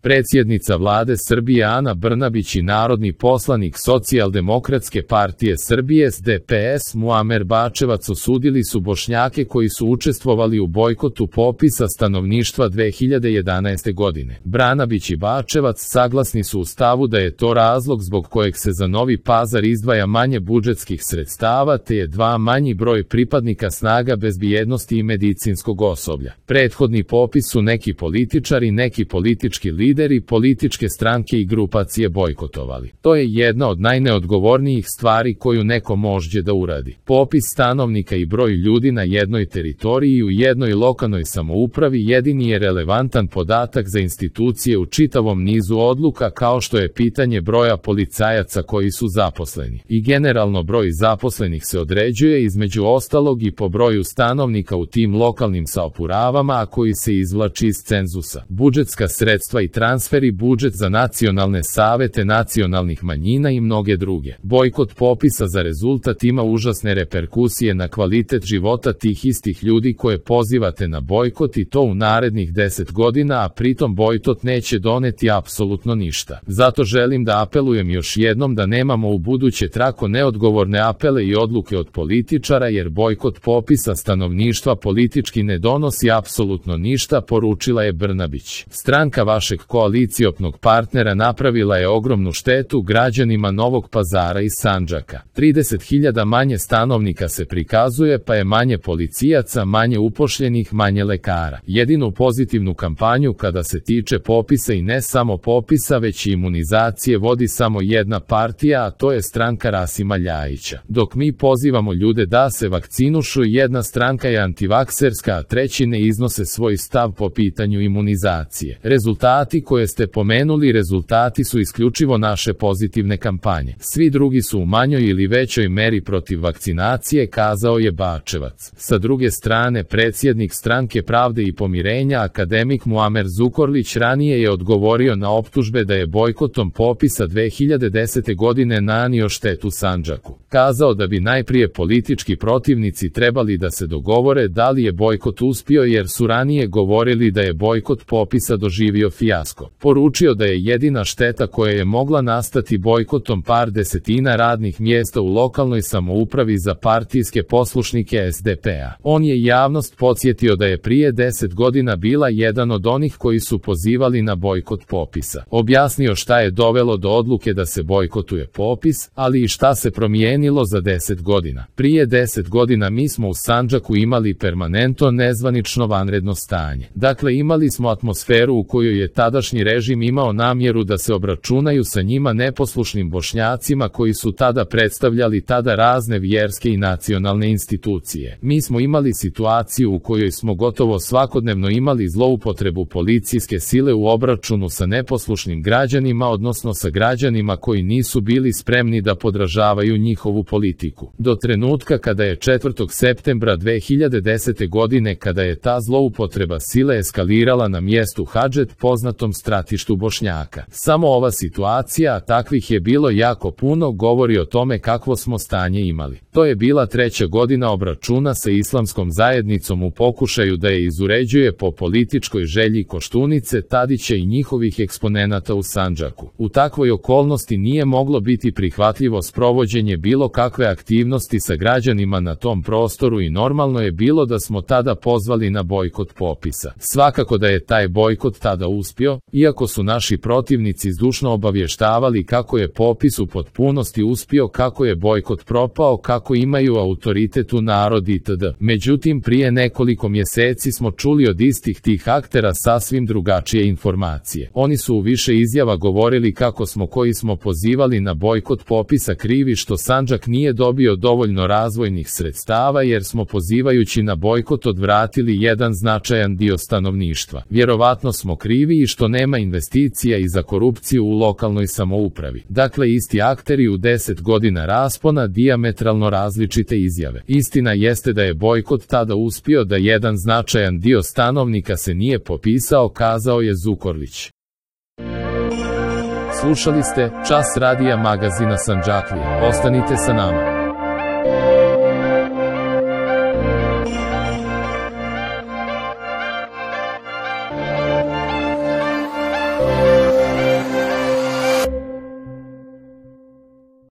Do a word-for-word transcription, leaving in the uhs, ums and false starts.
Predsjednica vlade Srbije Ana Brnabić i narodni poslanik Socijaldemokratske partije Srbije S D P S Muamer Bačevac osudili su Bošnjake koji su učestvovali u bojkotu popisa stanovništva dve hiljade jedanaeste. godine. Brnabić i Bačevac saglasni su u stavu da je to razlog zbog kojeg se za Novi Pazar izdvaja manje budžetskih sredstava te je dva manji broj pripadnika snaga bezbjednosti i medicinskog osoblja. Prethodni popis su neki političari, neki politički lideri, političke stranke i grupacije bojkotovali. To je jedna od najneodgovornijih stvari koju neko može da uradi. Popis stanovnika i broj ljudi na jednoj teritoriji i u jednoj lokalnoj samoupravi jedini je relevantan podatak za institucije u čitavom nizu odluka kao što je pitanje broja policajaca koji su zaposleni. I generalno broj zaposlenih se određuje između ostalog i po broju stanovnika u tim lokalnim samoupravama, a koji se izvlači iz cenzusa. Budžetska sredstva i transferi, budžet za nacionalne savete nacionalnih manjina i mnoge druge. Bojkot popisa za rezultat ima užasne reperkusije na kvalitet života tih istih ljudi koje pozivate na bojkot i to u narednih deset godina, a pritom bojkot neće doneti apsolutno ništa. Zato želim da apelujem još jednom da nemamo u buduće tako neodgovorne apele i odluke od političara, jer bojkot popisa stanovništva politički ne donosi apsolutno ništa, poručila je Brnabić. Stranka vašeg koaliciopnog partnera napravila je ogromnu štetu građanima Novog Pazara i Sandžaka. trideset hiljada manje stanovnika se prikazuje, pa je manje policijaca, manje upošljenih, manje lekara. Jedinu pozitivnu kampanju kada se tiče popisa i ne samo popisa već i imunizacije vodi samo jedna partija, a to je stranka Rasima Ljajića. Dok mi pozivamo ljude da se vakcinušu, jedna stranka je antivakserska, a treći ne iznose svoj stav po pitanju imunizacije. Rezultati koje ste pomenuli, rezultati su isključivo naše pozitivne kampanje. Svi drugi su u manjoj ili većoj meri protiv vakcinacije, kazao je Bačevac. Sa druge strane, predsjednik Stranke pravde i pomirenja akademik Muamer Zukorlić ranije je odgovorio na optužbe da je bojkotom popisa dve hiljade desete. godine nanio štetu Sandžaku. Kazao da bi najprije politički protivnici trebali da se dogovore da li je bojkot uspio, jer su ranije govorili da je bojkot popisa doživio fijasko. Poručio da je jedina šteta koja je mogla nastati bojkotom par desetina radnih mjesta u lokalnoj samoupravi za partijske poslušnike S D P a. On je javnost podsjetio da je prije deset godina bila jedan od onih koji su pozivali na bojkot popisa. Objasnio šta je dovelo do odluke da se bojkotuje popis, ali i šta se promijenilo za deset godina. Prije deset godina mi smo u Sandžaku imali permanentno nezvanično vanredno stanje. Dakle, imali smo atmosferu u kojoj je tadašnji režim imao namjeru da se obračunaju sa njima neposlušnim Bošnjacima koji su tada predstavljali tada razne vjerske i nacionalne institucije. Mi smo imali situaciju u kojoj smo gotovo svakodnevno imali zloupotrebu policijske sile u obračunu sa neposlušnim građanima, odnosno sa građanima koji nisu bili spremni da podražavaju njihovu politiku. Do trenutka kada je četvrtog septembra dve hiljade desete. godine kada je ta zloupotreba sile eskalirala na mjestu Hadžet, poznatom stratištu Bošnjaka. Samo ova situacija, a takvih je bilo jako puno, govori o tome kakvo smo stanje imali. To je bila treća godina obračuna sa islamskom zajednicom u pokušaju da je izuređuje po političkoj želji Koštunice, Tadića i njihovih eksponenata u Sandžaku. U takvoj okolnosti nije moglo biti prihvatljivo sprovođenje bilo kakve aktivnosti sa građanima na tom prostoru i normalno je bilo da smo tada pozvali na bojkot popisa. Svakako da je taj bojkot tada uspio, iako su naši protivnici zdušno obavještavali kako je popis u potpunosti uspio, kako je bojkot propao, kako imaju autoritet u narod itd. Međutim, prije nekoliko mjeseci smo čuli od istih tih aktera sasvim drugačije informacije. Oni su u više izjava govorili kako smo koji smo pozivali na bojkot popisa krivi što Sandžak nije dobio dovoljno razvojnih sredstava, jer smo pozivajući na bojkot odvratili jedan značajan dio stanovništva. Vjerovatno smo krivi i što nema investicija i za korupciju u lokalnoj samoupravi. Dakle, isti akteri u deset godina raspona, dijametralno različite izjave. Istina jeste da je bojkot tada uspio, da jedan značajan dio stanovnika se nije popisao, kazao je Zukorlić. Slušali ste Čas radija magazina Sandžaklija. Ostanite sa nama.